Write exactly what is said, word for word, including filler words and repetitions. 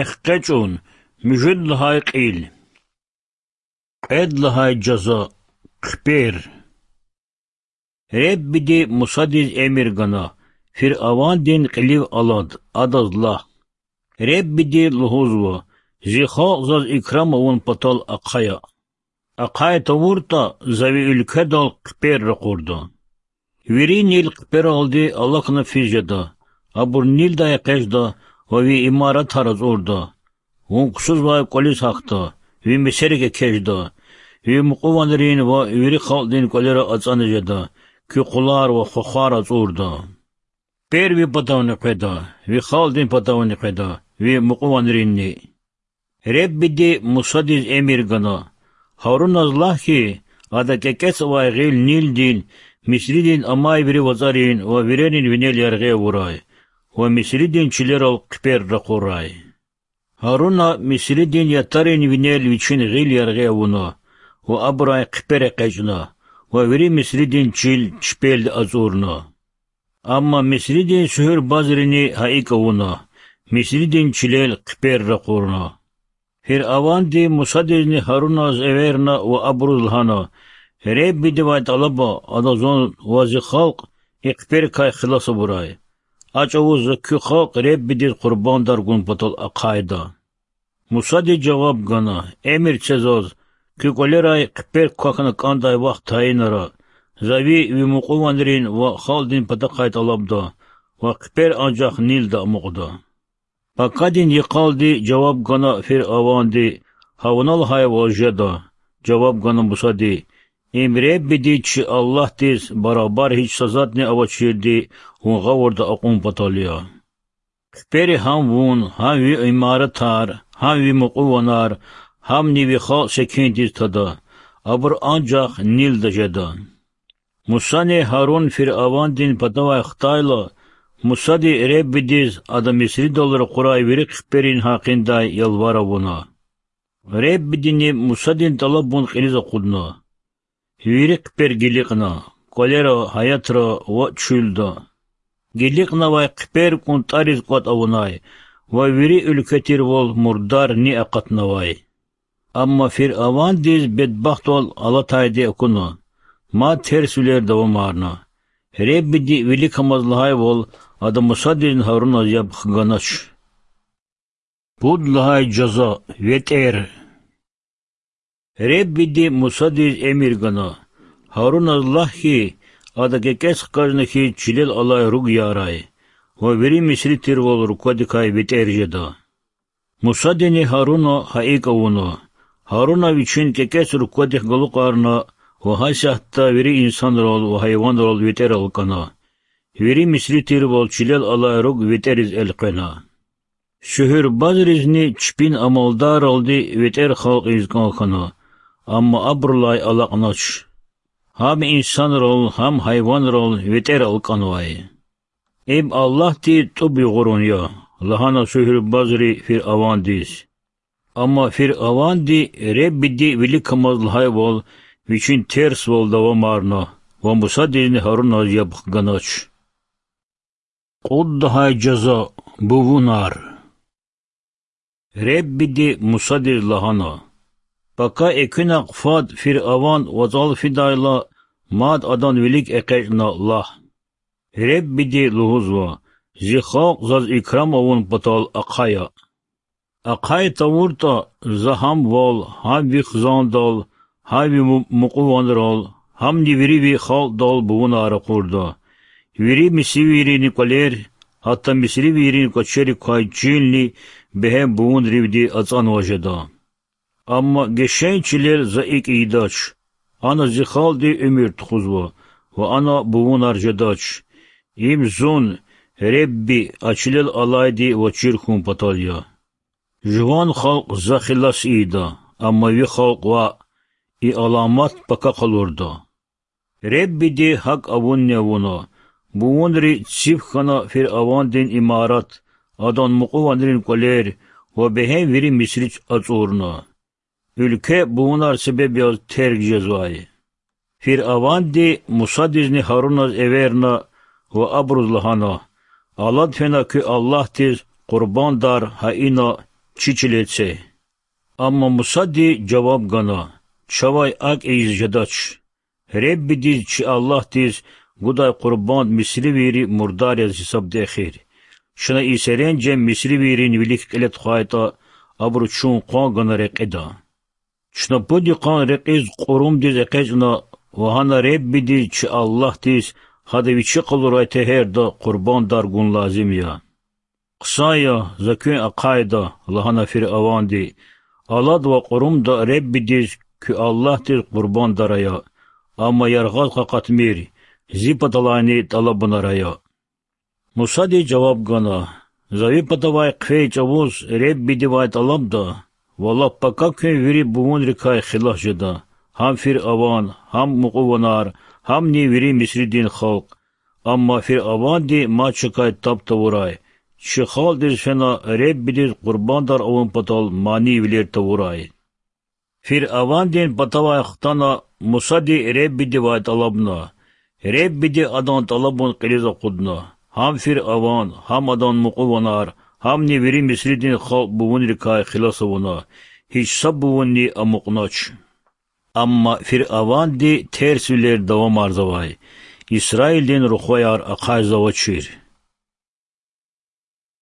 Экъечӏун, муьжуьд лагьай кьил. Кьвед лагьай жаза. Хъипер. Реббиди Мусадиз эмир гана: Фиръавандин кьилив алад, адаз лагь: Реббиди лугьузва: Зи халкь заз икрам авун патал ахъая. Ахъай тавуртӏа, за ви уьлкведал хъипер ракъурда. Вири Нил хъипералди алакьна физ жеда, абур Нилдай экъечӏда ва ви имаратар ацӏурда. Вун ксузвай кӏвализ гьахьда, ви месерик экечӏда, ви мукьуванрин ва вири халкьдин кӏвалера ацӏана жеда, куь къулар ва хвахвар ацӏурда. Хъипер ви патавни къведа, ви халкьдин патавни къведа, ви мукьуванринни. Реббиди Мусадиз эмир гана: Гьаруназ лагь хьи, ада кӀекӀец авай гъил Нилдин, Мисридин амай вири вацӀарин ва вирерин винел яргъи авурай ва Мисридин чилерал хъипер ракъурай. Гьаруна Мисридин ятарин винел вичин гъил яргъи авуна ва абурай хъипер экъечӀна ва вири Мисридин чил чпелди ацӀурна. Амма Мисридин суьгьуьрбазрини гьа икӀ авуна, Мисридин чилел хъипер ракъурна. Фиръаванди Мусадизни Гьаруназ эверна ва абуруз лагьана: Реббидивай тӀалаба, ада зун ва зи халкь и хъиперикай хилас авурай. А чӀавуз за куь халкь Реббидиз къурбандар гун патал ахъайда. Мусади жаваб гана: Эмир це заз, куь кӀвалерай хъипер квахьна кӀандай вахт тайинара, за ви, ви мукьуванрин ва халкьдин патахъай тӀалабда ва хъипер анжах Нилда амукьда. Пакадин йикъалди жаваб гана Фиръаванди: Гьа вуна лагьайвал жеда. Жаваб гана Мусади: Им Реббиди чи Аллагьдиз барабар гьич са затӀни авачирди вун гъавурда акьун патал я. Хъипери гьам вун, гьам ви имаратар, гьам ви мукьуванар, гьамни ви халкь секиндиз тада, абур анжах Нилда жеда. Мусани Гьарун Фиръавандин патавай хтайла, Мусади Реббидиз ада Мисридал ракъурай вири хъиперин гьакъиндай ялвар авуна. Реббидини Мусадин тӀалабун кьилиз акъудна. Вири хъипер гиликьна, кӀвалера, гьаятра ва чуьлда. Гиликьнавай хъипер кӀунтӀариз кӀватӀ авунай ва вири уьлкве тирвал мурдар ни акъатнавай. Амма Фиръавандиз бедбахтвал алатайди акуна, мад терсвилер давамарна. Реббиди виликамаз лагьайвал, ада Мусадизни Гьаруназ яб хганач. Пуд лагьай жаза, ветӀер. Реббиди Мусадиз эмир гана: Гьаруназ лагь хьи, ада кӀекӀец хкажна хьиз чилел алай руг ярай ва вири Мисри тирвал руквадикай ветӀер жеда. Мусадини Гьаруна гьа икӀ авуна. Гьаруна вичин кӀекӀец руквадихъ галукьарна ва гьасятда вири инсанрал ва гьайванрал ветӀер алкӀана. Вири Мисри тирвал чилел алай руг ветӀериз элкъвена. Суьгьуьрбазризни чпин амалдарралди ветӀер халкь ийиз кӀан хьана, амма абурулай алакьнач. Гьам инсанрал, гьам гьайванрал ветӀер алкӀанвай. Им Аллагьди тӀуб югъурун я,— лагьана суьгьуьрбазри Фиръавандиз. Амма Фиръаванди Реббиди виликамаз лагьайвал вичин терсвал давамарна ва Мусадизни Гьаруназ яб хганач. Кьуд лагьай жаза, бувунар. Реббиди Мусадиз лагьана: Пака экуьнахъ фад Фиръаван вацӀал фидайла, мад адан вилик экъечӀна лагь: Реббиди лугьузва: Зи халкь заз икрам авун патал ахъая. Ахъай тавуртӀа, за гьам вал, гьам ви хизандал, гьам ви му-, мукьуванрал, гьамни вири ви халкьдал бувунар ракъурда. Вири мисривийрин кӀвалер, гьатта мисривийрин кӀвачерик квай чилни бегьем бувунривди ацӀанваз жеда. Амма гишин чилел за икӀ ийидач, ана зи халкьди уьмуьр тухузва ва ана бувунар жедач. Им зун, Ребби, а чилел алайди ваз чир хьун патал я. Жуван халкь за хилас ийида, амма ви халкь ваъ, и аламат пака къалурда. Реббиди гьакӀ авунни авуна: бувунри циф хьана Фиръавандин имарат, адан мукьуванрин кӀвалер ва бегьем вири Мисри ацӀурна. Уьлкве бувунар себеб яз терг жезвай. Фиръаванди Мусадизни Гьаруназ эверна ва абуруз лагьана: Алад фена куь Аллагьдиз къурбандар гьа ина, чи чилел це. Амма Мусади жаваб гана: Чавай акӀ ийиз жедач. Худадиз, чи Аллагьдиз, гудай къурбанд мисривийри мурдар яз гьисабда эхир. Чна и серенжем мисривийрин вилик кьиле тухвайтӀа, абуру чун къван гана рекьида. Чна пуд йикъан рекьиз кьурумдиз экъечӀна ва гьана Худадиз, чи Аллагьдиз, гьада Вичи къалурай тегьерда къурбандар гун лазим я. Хъсан я, за куьн ахъайда,— лагьана Фиръаванди. Алад ва кьурумда Худадиз, куь Аллагьдиз, къурбандар ая, амма яргъаз къакъатмир, Зи паталайни тӀалабунар ая. Мусади жаваб гана: За Ви патавай хъфей чӀавуз Худадивай тӀалабда, ва лап пака куьн вири бувунрикай хилас жеда, гьам Фиръаван, гьам мукьуванар, гьамни вири Мисридин халкь. Амма Фиръаванди мад чакай таб тавурай, чи халкьдиз фена Худадиз къурбандар авун патал манийвилер тавурай. Фиръавандин патавай хтана, Мусади Худадивай тӀалабна. Худади адан тӀалабун кьилиз акъудна. Гьам Фиръаван, гьам адан мукьуванар, гьамни вири Мисридин халкь бувунрикай хилас авуна, гьич са бувунни амукьнач. Амма Фиръаванди терсвилер давамарзавай, Исраилдин рухваяр ахъайзавачир.